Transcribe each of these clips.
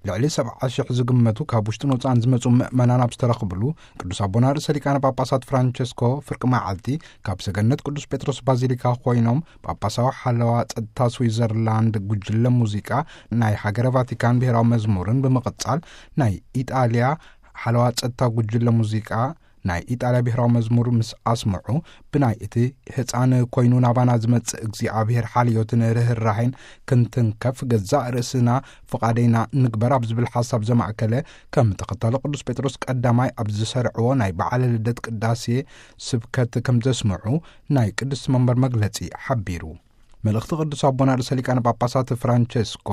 ልዕሊ ሰብዓ ሽሕ ዝግመቱ ካብ ውሽጥን ወጻእን ዝመጹ ምእመናን ኣብ ዝተረኽብሉ፣ ቅዱስ ኣቦና ርእሰ ሊቃነ ጳጳሳት ፍራንቸስኮ ፍርቂ መዓልቲ ካብ ሰገነት ቅዱስ ጴጥሮስ ባዚሊካ ኮይኖም፣ ጳጳሳዊ ሓለዋ ጸጥታ ስዊዘርላንድ፣ ጉጅለ ሙዚቃ ናይ ሃገረ ቫቲካን ብሔራዊ መዝሙርን ብምቕጻል፣ ናይ ኢጣልያ ሓለዋ ጸጥታ ጉጅለ ሙዚቃ ናይ ኢጣልያ ብሔራዊ መዝሙር ምስ ኣስምዑ፣ ብናይ እቲ ህፃን ኮይኑ ናባና ዝመጽእ እግዚኣብሔር ሓልዮትን ርህራሄን ክንትንከፍ፣ ገዛእ ርእስና ፍቓደይና ንግበር ኣብ ዝብል ሓሳብ ዘማእከለ፣ ከም ተኸታሊ ቅዱስ ጴጥሮስ ቀዳማይ ኣብ ዝሰርዕዎ ናይ በዓለ ልደት ቅዳሴ ስብከት ከም ዘስምዑ ናይ ቅድስቲ መንበር መግለጺ ሓቢሩ። መልእኽቲ ቅዱስ ኣቦና ርእሰ ሊቃነ ጳጳሳት ፍራንቸስኮ፣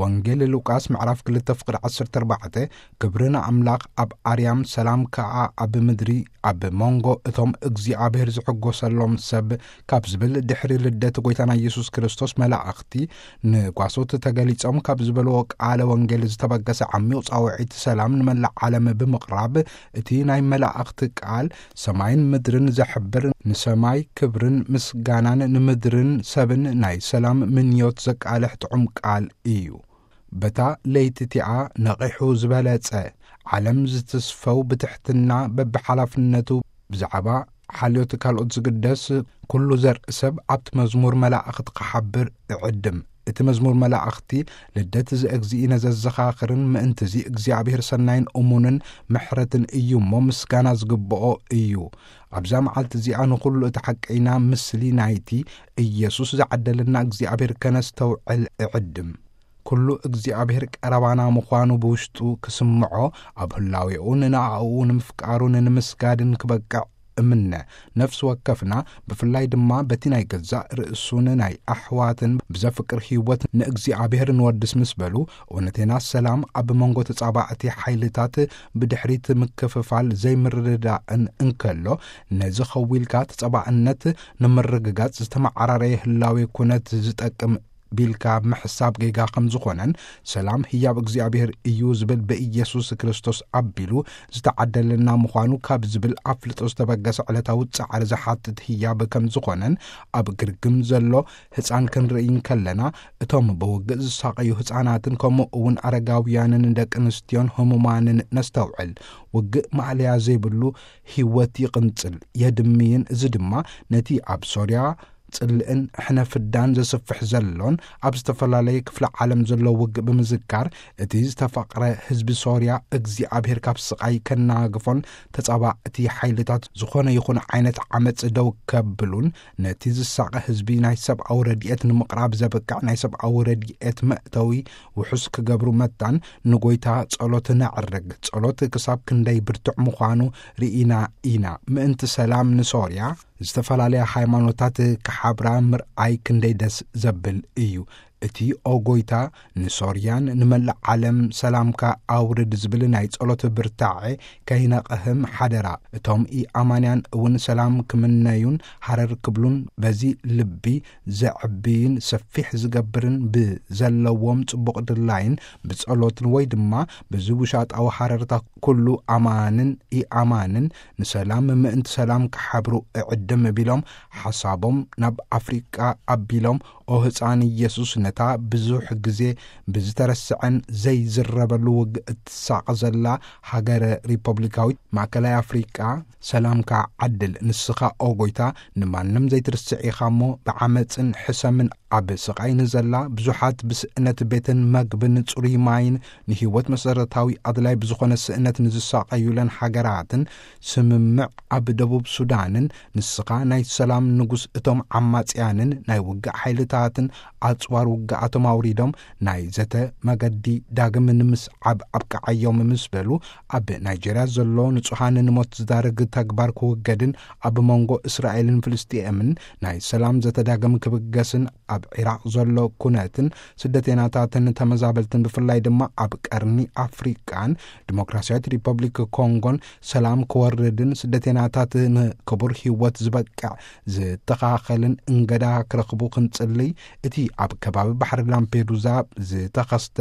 ወንጌል ሉቃስ ምዕራፍ ክልተ ፍቕዲ ዓሰርተ ኣርባዕተ፣ ክብሪ ንኣምላኽ ኣብ ኣርያም፣ ሰላም ከኣ ኣብ ምድሪ፣ ኣብ መንጎ እቶም እግዚኣብሔር ዝሕጎሰሎም ሰብ፣ ካብ ዝብል፣ ድሕሪ ልደት ጐይታና ኢየሱስ ክርስቶስ መላእኽቲ ንጓሶት ተገሊጾም ካብ ዝበልዎ ቃለ ወንጌል ዝተበገሰ ዓሚቕ ጻውዒት ሰላም ንመላእ ዓለም ብምቕራብ፣ እቲ ናይ መላእኽቲ ቃል ሰማይን ምድርን ዘሕብር፣ ንሰማይ ክብርን ምስጋናን፣ ንምድርን ሰብን ናይ ሰላም ምንዮት ዘቃልሕ ጥዑም ቃል እዩ። በታ ለይቲ እቲኣ ነቒሑ ዝበለጸ፣ ዓለም ዝትስፈው ብትሕትና በብሓላፍነቱ ብዛዕባ ሓልዮት ካልኦት ዝግደስ፣ ኩሉ ዘርኢ ሰብ ኣብቲ መዝሙር መላእኽቲ ክሓብር እዕድም። እቲ መዝሙር መላእኽቲ ልደት ዘእግዚእነ ዘዘኻኽርን፣ ምእንትዚ እግዚኣብሔር ሰናይን እሙንን ምሕረትን እዩ እሞ፣ ምስጋና ዝግብኦ እዩ። ኣብዛ መዓልቲ እዚኣ ንኹሉ እቲ ሓቀይና ምስሊ ናይቲ ኢየሱስ ዝዓደለና እግዚኣብሔር ከነስተውዕል እዕድም። ኩሉ እግዚኣብሔር ቀረባና ምዃኑ ብውሽጡ ክስምዖ፣ ኣብ ህላዌኡ ንንኣኡ ንምፍቃሩን ንምስጋድን ክበቅዕ እምነ። ነፍሲ ወከፍና፣ ብፍላይ ድማ በቲ ናይ ገዛእ ርእሱን ናይ ኣሕዋትን ብዘፍቅር ህይወት ንእግዚኣብሔር ንወድስ ምስ በሉ፣ እውነተና ሰላም ኣብ መንጎ ተጻባእቲ ሓይልታት ብድሕሪት ምክፍፋል ዘይምርድዳእን እንከሎ፣ ነዚ ኸዊልካ ተጻባእነት ንምርግጋጽ ዝተመዓራረየ ህላዌ ኩነት ዝጠቅም ቢልካ ምሕሳብ ጌጋ ከም ዝኾነን፣ ሰላም ህያብ እግዚኣብሔር እዩ ዝብል ብኢየሱስ ክርስቶስ ኣቢሉ ዝተዓደለና ምዃኑ ካብ ዝብል ኣፍልጦ ዝተበገሰ ዕለታዊ ጻዕሪ ዝሓትት ህያብ ከም ዝኾነን፣ ኣብ ግርግም ዘሎ ህጻን ክንርኢ እንከለና፣ እቶም ብውግእ ዝሳቐዩ ህጻናትን ከምኡ እውን ኣረጋውያንን ደቂ ኣንስትዮን ህሙማንን ነስተውዕል። ውግእ ማእለያ ዘይብሉ ህይወት ይቕንጽል፣ የድምይን። እዚ ድማ ነቲ ኣብ ሶርያ ጽልእን ሕነ ፍዳን ዘስፍሕ ዘሎን ኣብ ዝተፈላለየ ክፍለ ዓለም ዘሎ ውግእ ብምዝካር፣ እቲ ዝተፈቕረ ህዝቢ ሶርያ እግዚኣብሔር ካብ ስቓይ ከናግፎን ተጻባእቲ ሓይልታት ዝኾነ ይኹን ዓይነት ዓመጽ ደው ከብሉን፣ ነቲ ዝሳቐ ህዝቢ ናይ ሰብኣዊ ረድኤት ንምቕራብ ዘብቅዕ ናይ ሰብኣዊ ረድኤት መእተዊ ውሑስ ክገብሩ መታን ንጎይታ ጸሎት ነዕርግ። ጸሎት ክሳብ ክንደይ ብርቱዕ ምዃኑ ርኢና ኢና። ምእንቲ ሰላም ንሶርያ ዝተፈላለያ ሃይማኖታት ክሓብራ ምርኣይ ክንደይ ደስ ዘብል እዩ። እቲ ኦ ጎይታ ንሶርያን ንመላእ ዓለም ሰላምካ ኣውርድ ዝብል ናይ ጸሎት ብርታዐ ከይነቕህም ሓደራ። እቶም ኢኣማንያን እውን ሰላም ክምነዩን ሃረር ክብሉን በዚ ልቢ ዘዕብይን ሰፊሕ ዝገብርን ብዘለዎም ጽቡቕ ድላይን ብጸሎትን ወይ ድማ በዚ ውሻጣዊ ሃረርታ ኩሉ ኣማንን ኢኣማንን ንሰላም ምእንቲ ሰላም ክሓብሩ እዕድም ቢሎም ሓሳቦም ናብ ኣፍሪቃ ኣቢሎም ኦ ህፃን ኢየሱስ ነታ ብዙሕ ግዜ ብዝተረስዐን ዘይዝረበሉ ውግእ እትሳቐ ዘላ ሃገረ ሪፐብሊካዊት ማእከላይ ኣፍሪቃ ሰላምካ ዓድል። ንስኻ ኦ ጎይታ ንማንም ዘይትርስዕ ኢኻ እሞ ብዓመፅን ሕሰምን ኣብ ስቓይ ንዘላ ብዙሓት ብስእነት ቤትን መግብን ጽሩይ ማይን ንህይወት መሰረታዊ ኣድላይ ብዝኾነ ስእነት ንዝሳቐዩለን ሃገራትን ስምምዕ ኣብ ደቡብ ሱዳንን ንስኻ ናይ ሰላም ንጉስ እቶም ዓማጽያንን ናይ ውግእ ሓይልታትን ኣጽዋር ውግኣቶም ኣውሪዶም ናይ ዘተ መገዲ ዳግም ንምስዓብ ኣብቅዓዮም ምስ በሉ ኣብ ናይጄርያ ዘሎ ንጹሃን ንሞት ዝዳርግ ተግባር ክውገድን ኣብ መንጎ እስራኤልን ፍልስጤምን ናይ ሰላም ዘተ ዳግም ክብገስን ኣብ ዒራቕ ዘሎ ኩነትን ስደተይናታትን ተመዛበልትን ብፍላይ ድማ ኣብ ቀርኒ ኣፍሪቃን ዲሞክራሲያዊት ሪፐብሊክ ኮንጎን ሰላም ክወርድን ስደተይናታት ንክቡር ህይወት ዝበቅዕ ዝተኻኸልን እንገዳ ክረኽቡ ክንጽልይ እቲ ኣብ ከባቢ ባሕሪ ላምፔዱዛ ዝተኸስተ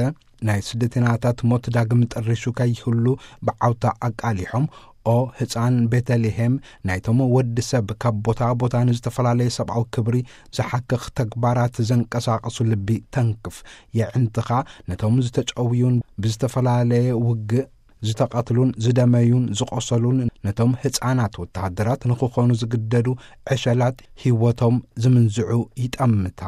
ናይ ስደተይናታት ሞት ዳግም ጠሪሹ ከይህሉ ብዓውታ ኣቃሊሖም ኦ ህፃን ቤተልሔም፣ ናይቶም ወዲ ሰብ ካብ ቦታ ቦታ ንዝተፈላለየ ሰብኣዊ ክብሪ ዝሓክኽ ተግባራት ዘንቀሳቐሱ ልቢ ተንክፍ። የዕንትኻ ነቶም ዝተጨውዩን ብዝተፈላለየ ውግእ ዝተቐትሉን ዝደመዩን ዝቖሰሉን ነቶም ህፃናት ወተሃደራት ንኽኾኑ ዝግደዱ ዕሸላት ህይወቶም ዝምንዝዑ ይጠምታ።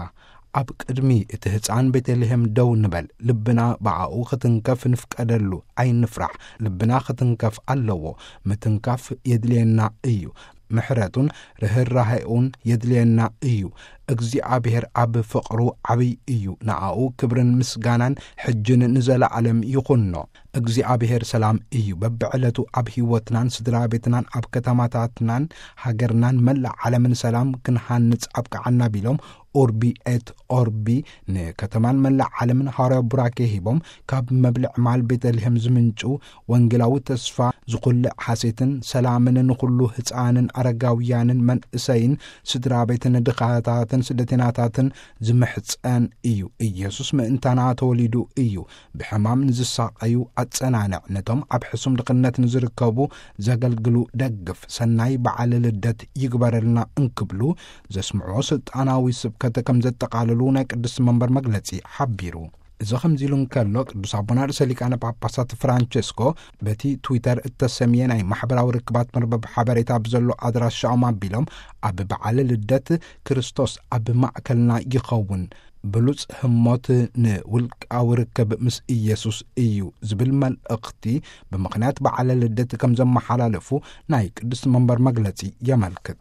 ኣብ ቅድሚ እቲ ህፃን ቤተልሔም ደው ንበል። ልብና ብኣኡ ክትንከፍ ንፍቀደሉ። ኣይንፍራሕ። ልብና ክትንከፍ ኣለዎ። ምትንካፍ የድልየና እዩ። ምሕረቱን ርህራሄኡን የድልየና እዩ። እግዚኣብሔር ኣብ ፍቕሩ ዓብይ እዩ። ንኣኡ ክብርን ምስጋናን ሕጅን ንዘለዓለም ይኹኖ። እግዚኣብሔር ሰላም እዩ። በብዕለቱ ኣብ ህይወትናን ስድራ ቤትናን ኣብ ከተማታትናን ሃገርናን መላእ ዓለምን ሰላም ክንሃንጽ ኣብቅዓና ቢሎም ኡርቢ ኤት ኦርቢ ንከተማን መላእ ዓለምን ሃዋርያዊ ቡራኬ ሂቦም፣ ካብ መብልዕ ማል ቤተልሔም ዝምንጩ ወንጌላዊ ተስፋ ዝኹልዕ ሓሴትን ሰላምን ንኹሉ ህፃንን ኣረጋውያንን መንእሰይን ስድራ ቤትን ድኻታትን ስደተናታትን ዝምሕፀን እዩ። ኢየሱስ ምእንታና ተወሊዱ እዩ። ብሕማም ንዝሳቐዩ ኣጸናንዕ፣ ነቶም ኣብ ሕሱም ድኽነት ንዝርከቡ ዘገልግሉ ደግፍ፣ ሰናይ በዓል ልደት ይግበረልና እንክብሉ ዘስምዑ ስልጣናዊ ስብከት ከም ዘጠቓልሉ ናይ ቅድስቲ መንበር መግለጺ ሓቢሩ። እዚ ከምዚ ኢሉ እንከሎ፣ ቅዱስ ኣቦና ርእሰ ሊቃነ ጳጳሳት ፍራንቸስኮ በቲ ትዊተር እተሰምየ ናይ ማሕበራዊ ርክባት መርበብ ሓበሬታ ብዘሎ ኣድራሻኦም ኣቢሎም፣ ኣብ በዓል ልደት ክርስቶስ ኣብ ማእከልና ይኸውን፣ ብሉጽ ህሞት ንውልቃዊ ርክብ ምስ ኢየሱስ እዩ ዝብል መልእኽቲ ብምኽንያት በዓለ ልደት ከም ዘመሓላለፉ ናይ ቅድስቲ መንበር መግለጺ የመልክት።